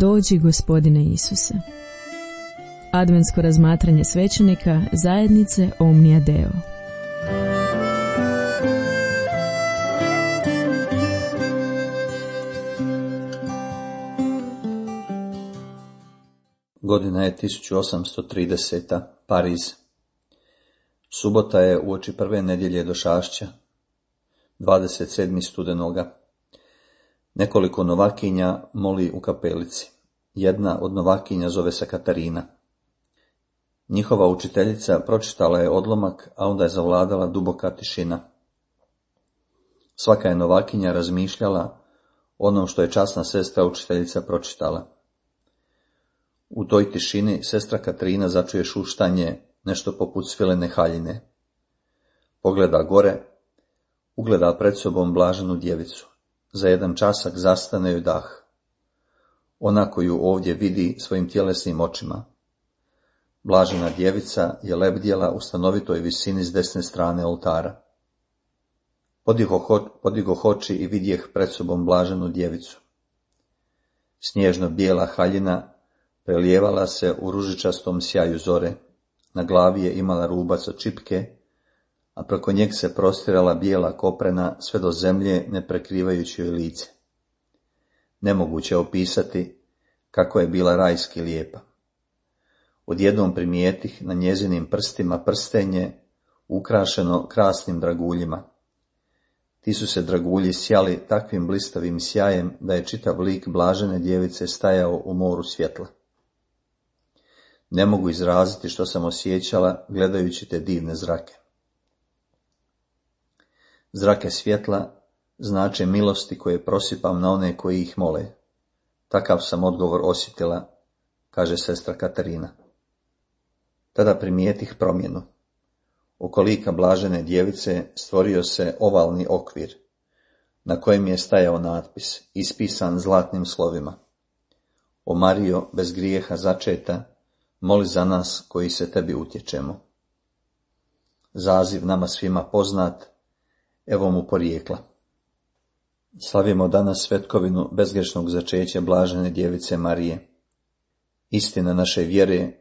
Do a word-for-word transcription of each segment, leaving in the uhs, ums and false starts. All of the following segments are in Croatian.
Dođi, Gospodine Isuse. Adventsko razmatranje svećenika zajednice Omnia Deo. Godina je tisuću osamsto trideseta. Pariz. Subota je uoči prve nedjelje došašća, dvadeset sedmog studenoga. Nekoliko novakinja moli u kapelici. Jedna od novakinja zove se Katarina. Njihova učiteljica pročitala je odlomak, a onda je zavladala duboka tišina. Svaka je novakinja razmišljala onom što je časna sestra učiteljica pročitala. U toj tišini sestra Katarina začuje šuštanje, nešto poput svilene haljine. Pogleda gore, ugleda pred sobom blaženu djevicu. Za jedan časak zastane joj dah. Ona koju ovdje vidi svojim tjelesnim očima. Blažena djevica je lebdjela u stanovitoj visini s desne strane oltara. Podigoh oči i vidjeh pred sobom blaženu djevicu. Snježno bijela haljina prelijevala se u ružičastom sjaju zore, na glavi je imala rubac od čipke, a preko njeg se prostirala bijela koprena sve do zemlje, ne prekrivajući joj lice. Nemoguće opisati kako je bila rajski lijepa. Odjednom primijetih na njezinim prstima prstenje ukrašeno krasnim draguljima. Ti su se dragulji sjali takvim blistavim sjajem da je čitav lik blažene djevice stajao u moru svjetla. Ne mogu izraziti što sam osjećala gledajući te divne zrake. Zrake svjetla znače milosti koje prosipam na one koji ih mole. Takav sam odgovor osjetila, kaže sestra Katarina. Tada primijetih promjenu. Oko lika blažene djevice stvorio se ovalni okvir, na kojem je stajao natpis, ispisan zlatnim slovima. O Marijo, bez grijeha začeta, moli za nas koji se tebi utječemo. Zaziv nama svima poznat, evo mu porijekla. Slavimo danas svetkovinu bezgrešnog začeća blažene djevice Marije. Istina naše vjere,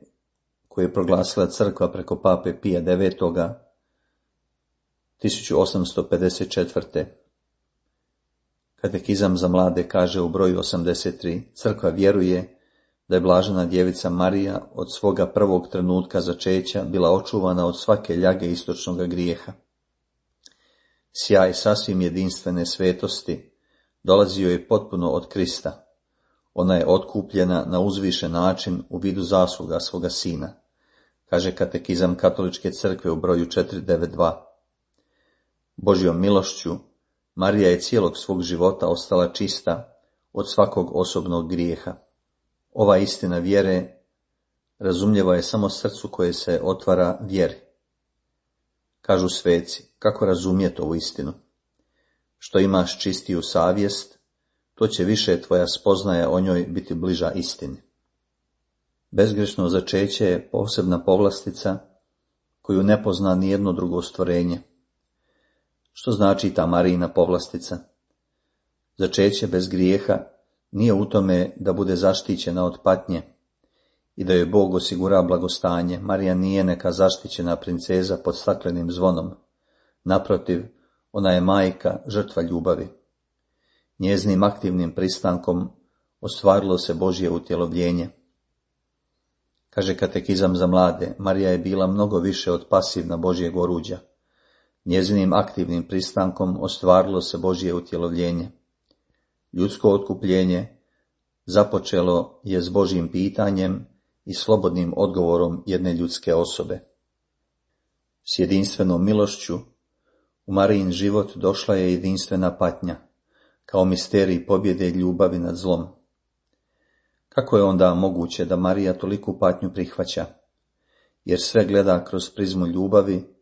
koju je proglasila crkva preko pape Pija devetoga. tisuću osamsto pedeset četvrte. Katekizam za mlade kaže u broju osamdeset tri, crkva vjeruje da je blažena djevica Marija od svoga prvog trenutka začeća bila očuvana od svake ljage istočnog grijeha. Sjaj sasvim jedinstvene svetosti dolazio je potpuno od Krista. Ona je otkupljena na uzvišen način u vidu zasluga svoga sina, kaže katekizam Katoličke crkve u broju četiristo devedeset dva. Božjom milošću Marija je cijelog svog života ostala čista od svakog osobnog grijeha. Ova istina vjere razumljiva je samo srcu koje se otvara vjeri. Kažu sveci, kako razumjeti ovu istinu? Što imaš čistiju savjest, to će više tvoja spoznaja o njoj biti bliža istini. Bezgrešno začeće je posebna povlastica koju ne pozna nijedno drugo stvorenje. Što znači ta Marijina povlastica? Začeće bez grijeha nije u tome da bude zaštićena od patnje i da joj Bog osigura blagostanje. Marija nije neka zaštićena princeza pod staklenim zvonom. Naprotiv, ona je majka, žrtva ljubavi. Njeznim aktivnim pristankom ostvarilo se Božje utjelovljenje. Kaže katekizam za mlade, Marija je bila mnogo više od pasivna Božjeg oruđa. Njezinim aktivnim pristankom ostvarilo se Božje utjelovljenje. Ljudsko otkupljenje započelo je s Božjim pitanjem i slobodnim odgovorom jedne ljudske osobe. S jedinstvenom milošću u Marijin život došla je jedinstvena patnja, kao misterij pobjede ljubavi nad zlom. Kako je onda moguće da Marija toliku patnju prihvaća? Jer sve gleda kroz prizmu ljubavi,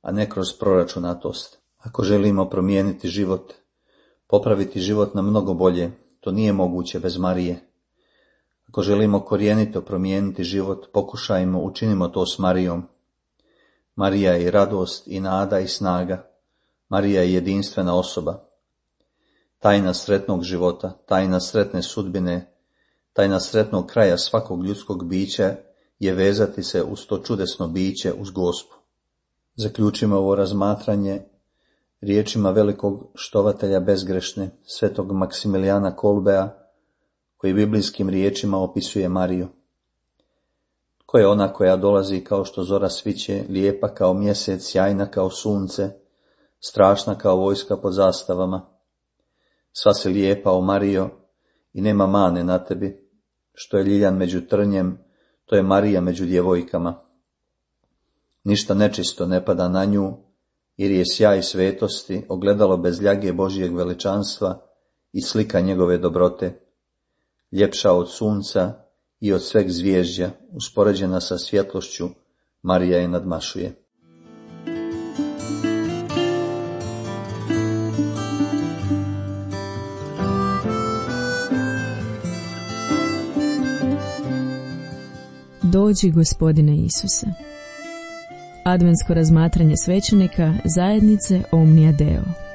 a ne kroz proračunatost. Ako želimo promijeniti život, popraviti život na mnogo bolje, to nije moguće bez Marije. Ako želimo korijenito promijeniti život, pokušajmo, učinimo to s Marijom. Marija je i radost, i nada, i snaga. Marija je jedinstvena osoba. Tajna sretnog života, tajna sretne sudbine Tajna sretnog kraja svakog ljudskog bića je vezati se uz to čudesno biće, uz Gospu. Zaključimo ovo razmatranje riječima velikog štovatelja bezgrešne, svetog Maksimilijana Kolbea, koji biblijskim riječima opisuje Mariju. Ko je ona koja dolazi kao što zora sviće, lijepa kao mjesec, sjajna kao sunce, strašna kao vojska pod zastavama? Sva si lijepa, o Marijo, i nema mane na tebi. Što je ljiljan među trnjem, to je Marija među djevojkama. Ništa nečisto ne pada na nju, jer je sjaj svetosti, ogledalo bez ljage Božijeg veličanstva i slika njegove dobrote. Ljepša od sunca i od sveg zvježđa, uspoređena sa svjetlošću, Marija je nadmašuje. Dođi, Gospodine Isuse. Adventsko razmatranje svećenika zajednice Omnia Deo.